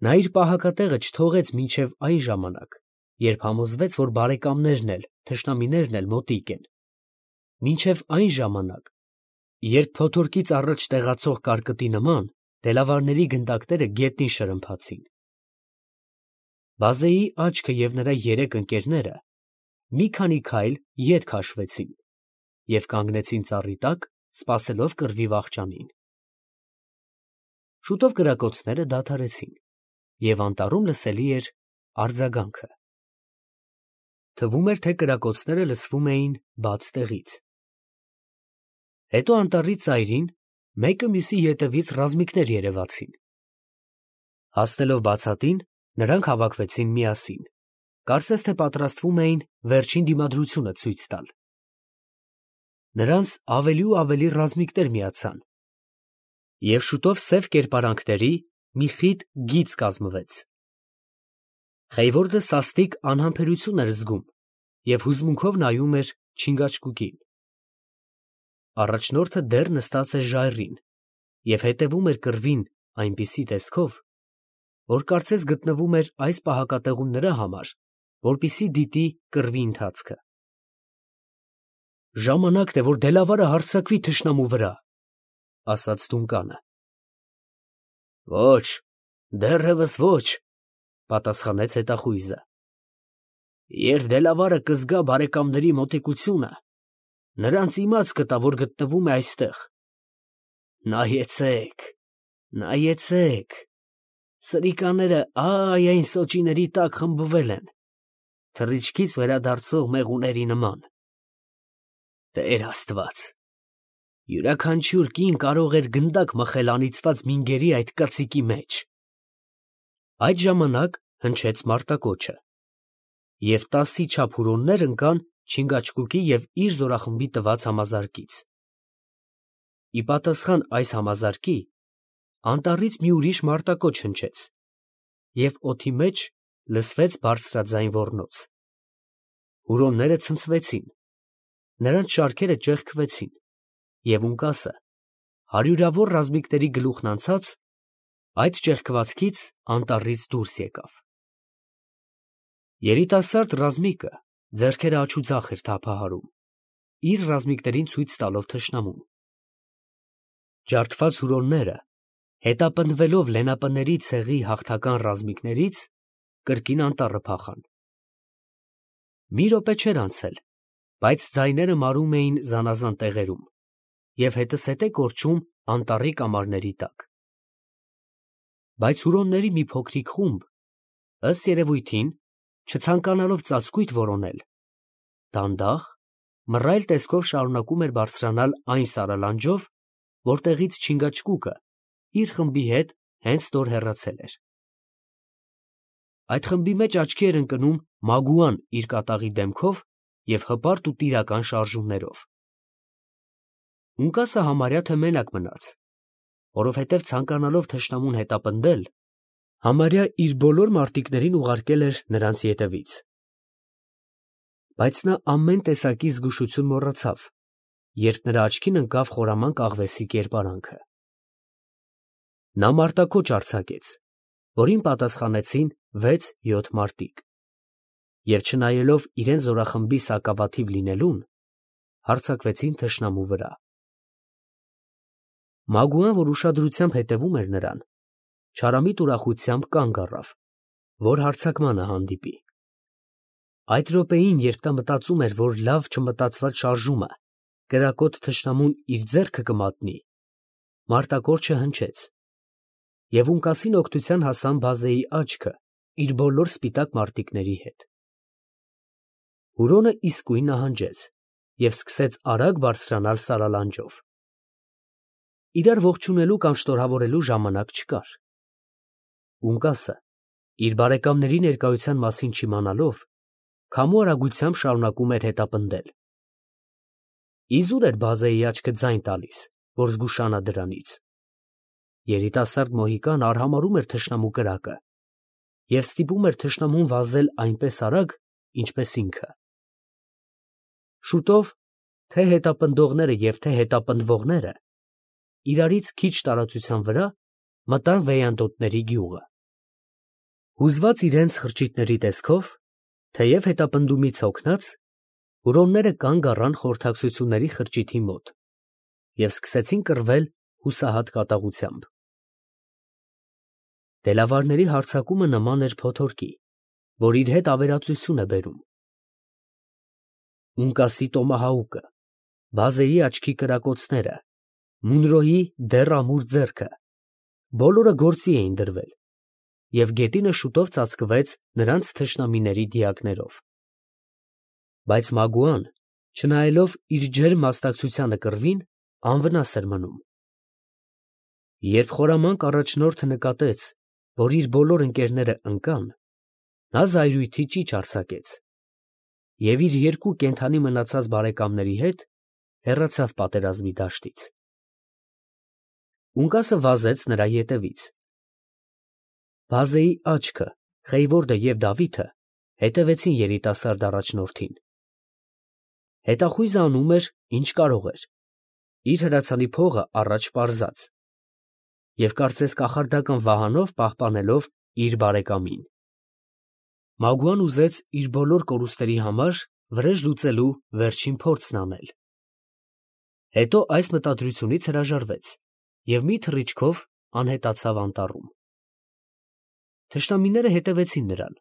Նա իր պահակատեղը չթողեց մինչև այն ժամանակ, երբ համոզվեց, որ բարեկամներն էլ, թշնամիներն էլ մոտիկ են, մինչև այն ժամանակ, երբ փոթորկից առաջ տեղացող կարկտի նման դելավարների գնդակները գետնին շրմփացին։ Բազեի աչքը և նրա երեք ընկերները մի քանի քայլ ետ քաշվեցին և կանգնեցին ծառի տակ, սպասելով կռվի վախճանին։ Շուտով կրակոցները դադարեցին, և անտառում լսելի էր արձագանքը։ Թվում էր, թե կրակոցները լսվում էին բաց տեղից։ Հետո անտառի ծայրին մեկը մյուսի ետևից ռազմիկներ երևացին։ Հասնելով բացատին, նրանք հավաքվեցին միասին, կարծես թե պատրաստվում էին վերջին դիմադրությունը ցույց տալ։ Նրանց ավելի ու ավելի ռազմիկներ միացան, և շուտով սև կերպարանքների մի խիտ գիծ կազմվեց։ Խեյվորդը սաստիկ անհամբերություն էր զգում և հուզմունքով նայում էր չինգաչգուկին։ Առաջնորդը դեռ նստած էր ժայռին և հետևում էր կռվին այնպիսի տեսքով, որ կարծես գտնվում էր այս պահակատեղում նրա համար, որպեսզի դիտի կռվի ընթացքը։ «Ժամանակն է, որ Դելավարը հարձակվի թշնամու վրա», ֊ ասաց Դունկանը։ ֊ Ոչ, դեռևս ոչ, ֊ պատասխանեց հետախույզը։ Երբ Դելավարը կզգա բարեկամների մոտիկությունը, նրանց իմաց կտա, որ գտնվում է այստեղ։ Նայեցեք, նայեցեք, սրիկաները ա՜յ այն սոճիների տակ խմբվել են, թռիչքից վերադարձող մեղուների նման։ Տեր Աստված, յուրաքանչյուր կին կարող էր գնդակ մխել անիծված մինգերի այդ կծիկի մեջ։ Այդ ժամանակ հնչեց մարտակոչը, և 10-ի չափ հուրոններ ընկան Չինգաչգուկի և իր զորախմբի տված համազարկից։ Ի պատասխան այս համազարկի անտառից մի ուրիշ մարտակոչ հնչեց, և օդի մեջ լսվեց բարձրաձայն ոռնոց։ Հուրոնները ցնցվեցին, նրանց շարքերը ճեղքվեցին, և ունկասը, հարյուրավոր ռազմիկների գլուխն անցած, այդ ճեղքվածքից անտառից դուրս եկավ։ Երիտասարդ ռազմիկը ձեռքերը աջուձախ էր թափահարում, իր ռազմիկներին ցույց տալով թշնամուն։ Ջարդված հուրոնները, հետապնդվելով լենապների ցեղի հաղթական ռազմիկներից, կրկին անտառը փախան։ Մի րոպե չէր անցել, բայց ձայները մարում էին զանազան տեղերում և հետզհետե կորչում անտառի կամարների տակ։ Բայց հուրոնների մի փոքրիկ խումբ, ըստ երևույթին, չցանկանալով ծածկույթ որոնել, դանդաղ, մռայլ տեսքով շարունակում էր բարձրանալ այն սարալանջով, որտեղից Չինգաչգուկը իր խմբի հետ հենց նոր հեռացել էր։ Այդ խմբի մեջ աչքի էր ընկնում Մագուան իր կատաղի դեմքով և հպարտ ու տիրական շարժումներով։ Ունկասը համարյա թե մենակ մնաց, որովհետև ցանկանալով թշնամուն հետապնդել, համարյա իր բոլոր մարտիկներին ուղարկել էր նրանց ետևից։ Բայց նա ամեն տեսակի զգուշություն մոռացավ, երբ նրա աչքին ընկավ խորամանկ աղվեսի կերպարանքը։ Նա մարտակոչ արձակեց, որին պատասխանեցին 6-7 մարտիկ, և չնայելով իրենց զորախմբի սակավաթիվ լինելուն, հարձակվեցին թշնամու վրա։ Մագուան, որ ուշադրությամբ հետևում էր նրան, չարամիտ ուրախությամբ կանգ առավ, որ հարձակմանը հանդիպի։ Այդ րոպեին, երբ նա մտածում էր, որ լավ չմտածված շարժումը կրակոտ թշնամուն իր ձեռքը կմատնի, մարտակորջը հնչեց, և ունկասին օգնության հասան բազեի աչքը իր բոլոր սպիտակ մարտիկների հետ։ Հուրոնը իսկույն նահանջեց և սկսեց արագ բարձրանալ սարալանջով։ Իրար ողջունելու կամ շնորհավորելու ժամանակ չկար։ Ունկասը, իր բարեկամների ներկայության մասին չիմանալով, քամու արագությամբ շարունակում էր հետապնդել։ Իզուր էր բազեի աչքը ձայն տալիս, որ զգուշանա դրանից։ Երիտասարդ մոհիկանը արհամարհում էր թշնամու կրակը և ստիպում էր թշնամուն վազել այնպես արագ, ինչպես ինքը։ Շուտով թե՛ հետապնդողները և թե՛ հետապնդվողները իրարից քիչ տարածության վրա մտան Վեյանդոտների գյուղը։ Հուզված իրենց խրճիթների տեսքով, թեև հետապնդումից հոգնած, հուրոնները կանգ առան խորհրդակցությունների խրճիթի մոտ և սկսեցին կռվել հուսահատ կատաղությամբ։ Դելավարների հարձակումը նման էր փոթորկի, որ իր հետ ավերածություն է բերում։ Ունկասի տոմահաուկը, Բազեի աչքի կրակոցները, Մունրոյի դեռ ամուր ձեռքը, բոլորը գործի էին դրվել, և գետինը շուտով ծածկվեց նրանց թշնամիների դիակներով։ Բայց Մագուան, չնայելով իր ջերմ մասնակցությանը կռվին, անվնաս էր մնում։ Երբ խորամանկ առաջնորդը նկատեց, որ իր բոլոր ընկերները ընկան, նա զայրույթի ճիչ արձակեց և իր երկու կենդանի մնացած բարեկամների հետ հեռացավ պատերազմի դաշտից։ Ունկասը վազեց նրա ետևից։ Բազեի աչքը, Խեյվորդը և Դավիթը հետևեցին երիտասարդ առաջնորդին։ Հետախույզը անում էր, ինչ կարող էր, իր հրացանի փողը առաջ պարզած և կարծես կախարդական վահանով պահպանելով իր բարեկամին։ Մագուան ուզեց իր բոլոր կորուստների համար վրեժ լուծելու վերջին փորձն անել։ Հետո այս մտադրությունից հրաժարվեց և մի թռիչքով անհետացավ անտառում։ Թշնամիները հետևեցին նրան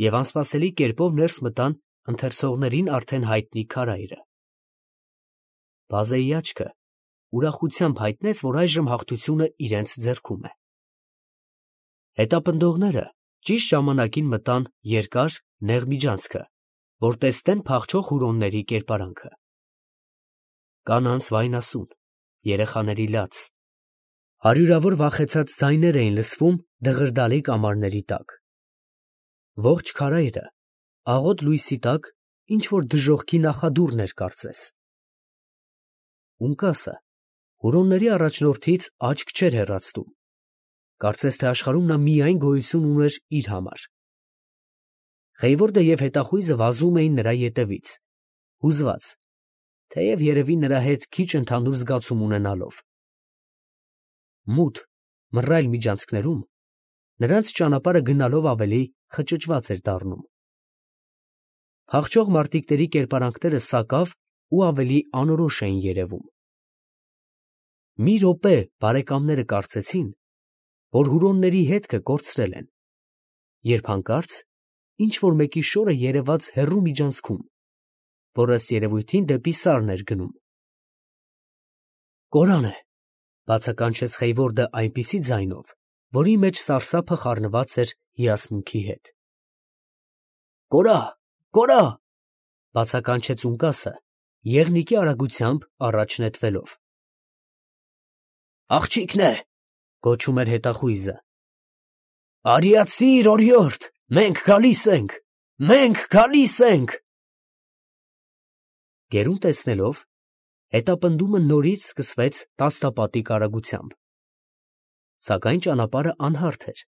և անսպասելի կերպով ներս մտան ընթերցողներին արդեն հայտնի քարայրը։ Բազեի աչքը ուրախությամբ հայտնեց, որ այժմ հաղթությունը իրենց ձեռքում է։ Հետապնդողները ճիշտ ժամանակին մտան երկար, նեղ միջանցքը, որ տեսնեն փախչող հուրոնների կերպարանքը։ Կանանց վայնասուն, երեխաների լաց, հարյուրավոր վախեցած ձայներ էին լսվում դղրդալի կամարների տակ։ Ողջ քարայրը աղոտ լույսի տակ ինչ֊որ դժոխքի նախադուռն էր կարծես։ Ունկասը հուրոնների առաջնորդից աչք չէր հեռացնում, կարծես թե աշխարհում նա միայն գոյություն ուներ իր համար։ Խեյվորդը և հետախույզը վազում էին նրա ետևից, հուզված, թեև երևի նրա հետ քիչ ընդհանուր զգացում ունենալով։ Մութ, մռայլ միջանցքներում նրանց ճանապարհը գնալով ավելի խճճված էր դառնում։ Փախչող մարտիկների կերպարանքները սակավ ու ավելի անորոշ էին երևում։ Մի րոպե բարեկամները կարծեցին, որ հուրոնների հետքը կորցրել են, երբ հանկարծ ինչ֊որ մեկի շորը երևաց հեռու միջանցքում, որ ըստ երևույթին դեպի սարն էր գնում։ «Կորան է», ֊ բացականչեց Խեյվորդը այնպիսի ձայնով, որի մեջ սարսափը խառնված էր հիացմունքի հետ։ «Կորա, կորա», ֊ բացականչեց Ունկասը, եղնիկի արագությամբ առաջ նետվելով։ «Աղջիկն է», ֊ գոչում էր հետախույզը։ «Արիացի՛ր, օրիորդ, մենք գալիս ենք, մենք գալիս ենք»։ Գերուն տեսնելով, հետապնդումը նորից սկսվեց տասնապատիկ արագությամբ։ Սակայն ճանապարհը անհարթ էր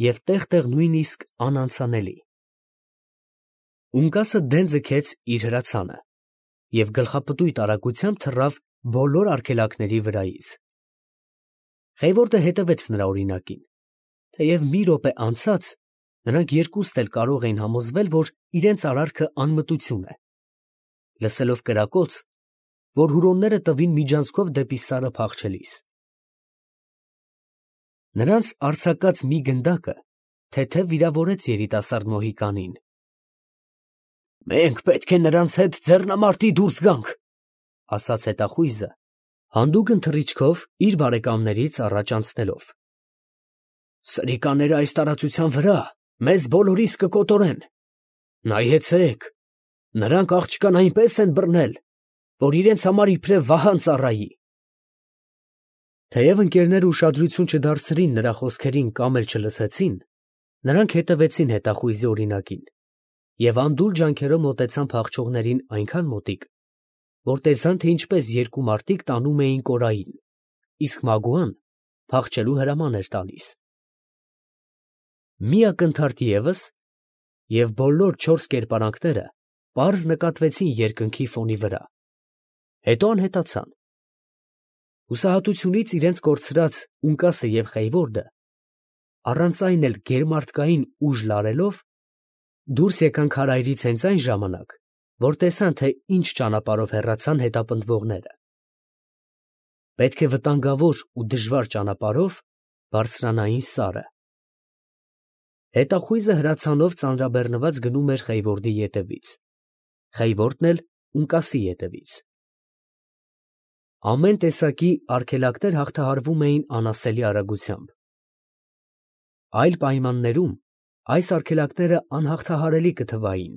և տեղ֊տեղ նույնիսկ անանցանելի։ Ունկասը դեն ձգեց իր հրացանը և գլխապտույտ արագությամբ թռավ բոլոր արգելակների վրայից։ Խեյվորդը հետևեց նրա օրինակին, թեև մի րոպե անցած նրանք երկուստ էլ կարող էին համոզվել, որ իրենց արարքը անմտություն է, լսելով կրակոց, որ հուրոնները տվին միջանցքով դեպի սարը փախչելիս։ Նրանց արձակած մի գնդակը թեթև վիրավորեց երիտասարդ մոհիկանին։ «Մենք պետք է նրանց հետ ձեռնամարտի դուրս գանք», ֊ ասաց հետախույզը, հանդուգն թռիչքով իր բարեկամներից առաջ անցնելով։ «Սրիկաները այս տարածության վրա մեզ բոլորիս կկոտորեն։ Նայեցե՛ք, նրանք աղջկան այնպես են բռնել, որ իրենց համար իբրև վահան ծառայի»։ Թեև ընկերները ուշադրություն չդարձրին նրա խոսքերին կամ էլ չլսեցին, նրանք հետևեցին հետախույզի օրինակին և անդուլ ջանքերով մոտեցան փախչողներին այնքան մոտիկ, որ տեսան, թե ինչպես երկու մարտիկ տանում էին Կորային, իսկ Մագուան փախչելու հրաման էր տալիս։ Մի ակնթարթ ևս, և բոլոր չորս կերպարանքները պարզ նկատվեցին երկնքի ֆոնի վրա, հետո անհետացան։ Հուսահատությունից իրենց կորցրած Ունկասը և Խեյվորդը առանց այն էլ գերմարտկային ուժ լարելով, դուրս եկան քարայրից հենց այն ժամանակ, որ տեսան, թե ինչ ճանապարհով հեռացան հետապնդվողները։ Պետք է վտանգավոր ու դժվար ճանապարհով բարձրանային սարը։ Հետախույզը հրացանով ծանրաբեռնված գնում էր Խեյվորդի ետևից, Խեյվորդն էլ Ունկասի ետևից։ Ամեն տեսակի արգելակներ հաղթահարվում էին անասելի արագությամբ։ Այլ պայմաններում այս արգելակները անհաղթահարելի կթվային։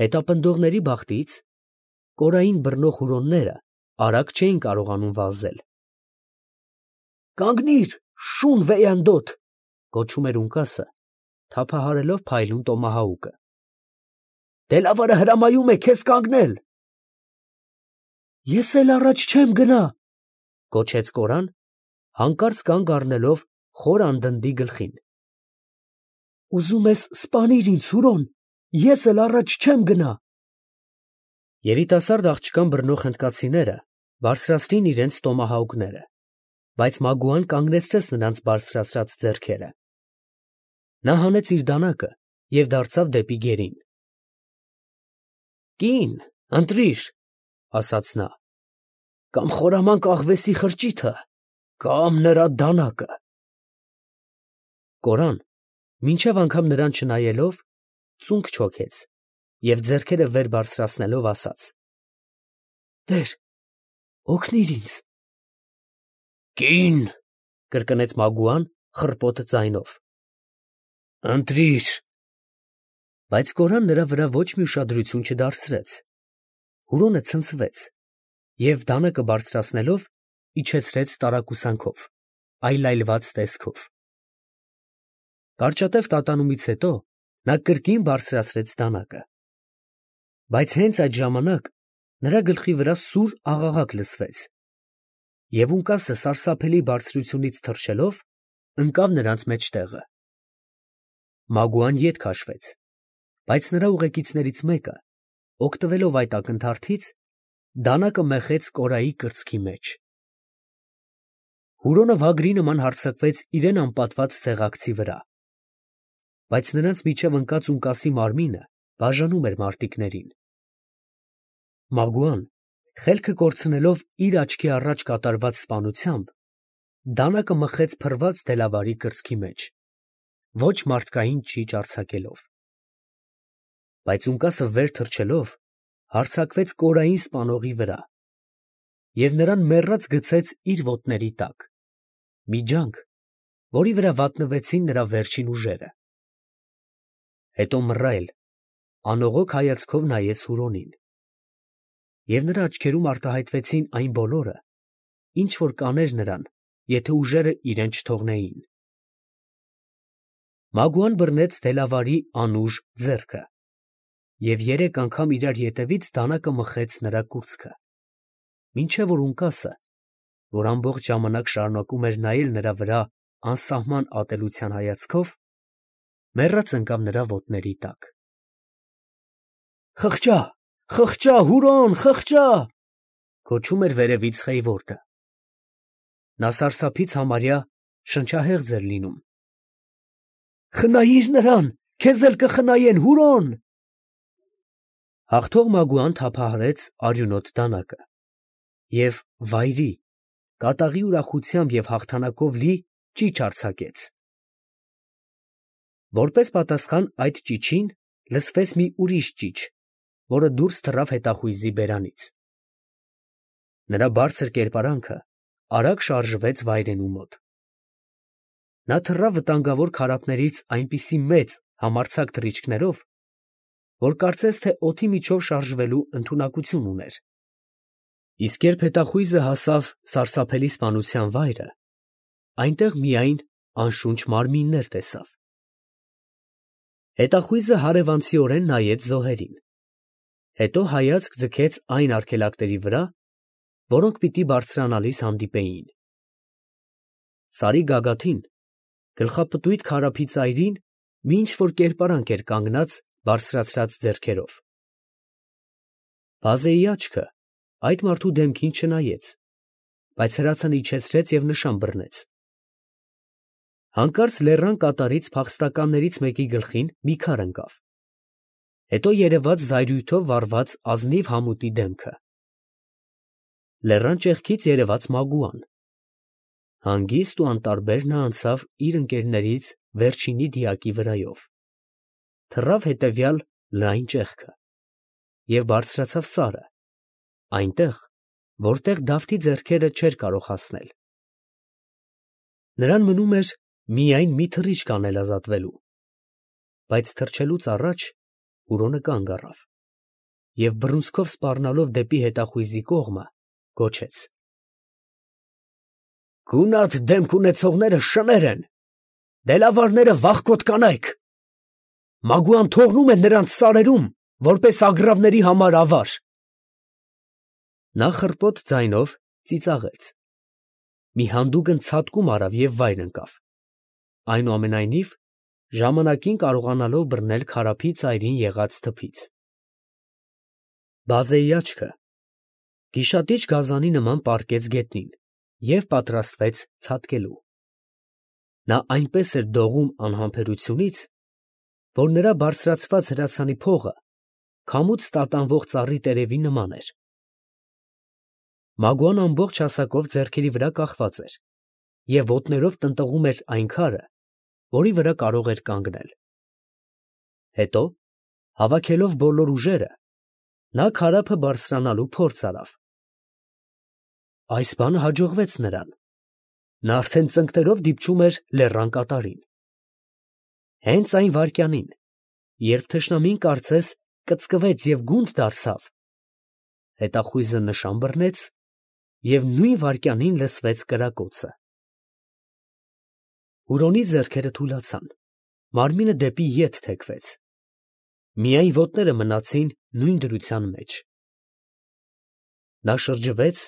Հետապնդողների բախտից կորային բռնող հուրոնները արագ չէին կարողանում վազել։ «Կանգնի՛ր, շուն վեյանդոտ», կոչում էր Ունկասը, թափահարելով փայլուն տոմահաուկը։ «Դելավարը հրամայում է քեզ կանգնել»։ «Ես էլ առաջ չեմ գնա», կոչեց կորան, հանկարծ կանգ առնելով խոր անդնդի գլխին։ «Ուզում ես սպանիր ինձ, Հուրոն, ես էլ առաջ չեմ գնա»։ Երիտասարդ աղջկան բռնող հնդկացիները բարձրացրին իրենց տոմահաուկները, բայց Մագուան կանգնեցրեց նրանց բարձրացրած ձեռքերը։ Նա հանեց իր դանակը և դարձավ դեպի գերին։ «Կին, ընտրիր», ասաց նա, «կամ խորամանկ աղվեսի խրճիթը, կամ նրա դանակը»։ Կորան, մինչև անգամ նրան չնայելով, ծունկ չոքեց և ձեռքերը վեր բարձրացնելով ասաց. «Տեր, օգնիր ինձ»։ «Կին», կրկնեց Մագուան խռպոտ ձայնով, «ընտրիր»։ Բայց կորան նրա վրա ոչ մի ուշադրություն չդարձրեց։ Հուրոնը ցնցվեց և դանակը բարձրացնելով իջեցրեց տարակուսանքով, այլայլված տեսքով։ Կարճատև տատանումից հետո նա կրկին բարձրացրեց դանակը։ Բայց հենց այդ ժամանակ նրա գլխի վրա սուր աղաղակ լսվեց, և Ունկասը սարսափելի բարձրությունից թռչելով ընկավ նրանց մեջտեղը։ Մագուան ետ քաշվեց, բայց նրա ուղեկիցներից մեկը, օգտվելով այդ ակնթարթից, դանակը մեխեց կորայի կրծքի մեջ։ Հուրոնը վագրի նման հարձակվեց իրեն անպատված ցեղակցի վրա, բայց նրանց միջև ընկած Ունկասի մարմինը բաժանում էր մարտիկներին։ Մագուան, խելքը կորցնելով իր աչքի առաջ կատարված սպանությամբ, դանակը մխեց փռված դելավարի կրծքի մեջ, ոչ մարդկային ճիճ արձակելով։ Բայց Ունկասը վեր թռչելով հարձակվեց կորային սպանողի վրա և նրան մեռած գցեց իր ոտների տակ, մի ջանք, որի վրա վատնվեցին նրա վերջին ուժերը։ Հետո մռայլ, անողոք հայացքով նայեց Հուրոնին, և նրա աչքերում արտահայտվեցին այն բոլորը, ինչ որ կաներ նրան, եթե ուժերը իրեն չթողնեին։ Մագուան բռնեց դելավարի անուժ ձեռքը և 3 անգամ իրար ետևից դանակը մխեց նրա կուրծքը, մինչև որ Ունկասը, որ ամբողջ ժամանակ շարունակում էր նայել նրա վրա անսահման ատելության հայացքով, մեռած ընկավ նրա ոտների տակ։ «Խղճա, խղճա, Հուրոն, խղճա», կոչում էր վերևից Խեյվորդը։ Նա սարսափից համարյա շնչահեղձ էր լինում։ «Խնայիր նրան, քեզ էլ կխնայեն, Հուրոն»։ Հաղթող Մագուան թափահարեց արյունոտ դանակը և վայրի, կատաղի ուրախությամբ և հաղթանակով լի ճիչ արձակեց։ Որպես պատասխան այդ ճիչին լսվեց մի ուրիշ ճիչ, որը դուրս թռավ հետախույզի բերանից։ Նրա բարձր կերպարանքը արագ շարժվեց վայրենու մոտ։ Նա թռավ վտանգավոր քարափներից այնպիսի մեծ, համարձակ թռիչքներով, որ կարծես թե օդի միջով շարժվելու ընդունակություն ուներ։ Իսկ երբ հետախույզը հասավ սարսափելի սպանության վայրը, այնտեղ միայն անշունչ մարմիններ տեսավ։ Հետախույզը հարևանցիորեն նայեց զոհերին, հետո հայացք ձգեց այն արգելակների վրա, որոնք պիտի բարձրանալիս հանդիպեին։ Սարի գագաթին, գլխապտույտ քարափի ծայրին մի ինչ֊որ կերպարանք էր կանգնած բարձրացրած ձեռքերով։ Բազեի աչքը այդ մարդու դեմքին չնայեց, բայց հրացանը իջեցրեց և նշան բռնեց։ Հանկարծ լեռան կատարից փախստականներից մեկի գլխին մի քար ընկավ, հետո երևաց զայրույթով վառված ազնիվ համուտի դեմքը։ Լեռան ճեղքից երևաց Մագուան։ Հանգիստ ու անտարբեր նա անցավ իր ընկերներից վերջինի դիակի վրայով, թռավ հետևյալ լայն ճեղքը և բարձրացավ սարը, այնտեղ, որտեղ Դավթի ձեռքերը չէր կարող հասնել։ Նրան մնում էր միայն մի թռիչք անել ազատվելու, բայց թռչելուց առաջ Հուրոնը կանգ առավ և բռունցքով սպառնալով դեպի հետախույզի կողմը, գոչեց. «Գունատ դեմք ունեցողները շներ են, դելավարները վախկոտ կանայք. Մագուան թողնում է նրանց սարերում, որպես ագռավների համար ավար»։ Նա խռպոտ ձայնով ծիծաղեց, մի հանդուգն ցատկում արավ և վայր ընկավ, այնուամենայնիվ ժամանակին կարողանալով բռնել քարափի ծայրին եղած թփից։ Բազեի աչքը գիշատիչ գազանի նման պառկեց գետնին և պատրաստվեց ցատկելու։ Նա այնպես էր դողում անհամբերությունից, որ նրա բարձրացված հրացանի փողը քամուց տատանվող ծառի տերևի նման էր։ Մագուան ամբողջ հասակով ձեռքերի վրա կախված էր և ոտներով տնտղում էր այն քարը, որի վրա կարող էր կանգնել։ Հետո, հավաքելով բոլոր ուժերը, նա քարափը բարձրանալու փորձ արավ։ Այս բանը հաջողվեց նրան. նա արդեն ծնկներով դիպչում էր լեռան կատարին։ Հենց այն վայրկյանին, երբ թշնամին կարծես կծկվեց և գունդ դարձավ, հետախույզը նշան բռնեց և նույն վայրկյանին լսվեց կրակոցը։ Հուրոնի ձեռքերը թուլացան, մարմինը դեպի ետ թեքվեց, միայն ոտները մնացին նույն դրության մեջ։ Նա շրջվեց,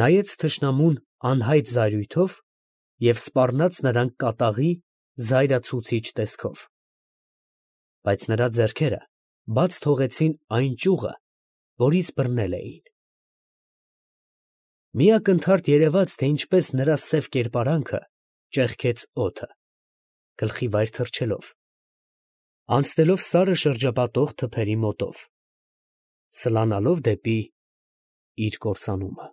նայեց թշնամուն անհայտ զայրույթով և սպառնաց նրան կատաղի զայրացուցիչ տեսքով, բայց նրա ձեռքերը բաց թողեցին այն ճյուղը, որից բռնել էին։ Մի ակնթարթ երևաց, թե ինչպես նրա սև կերպարանքը ճեղքեց օդը, գլխի վայր թռչելով, անցնելով սարը շրջապատող թփերի մոտով, սլանալով դեպի իր կործանումը։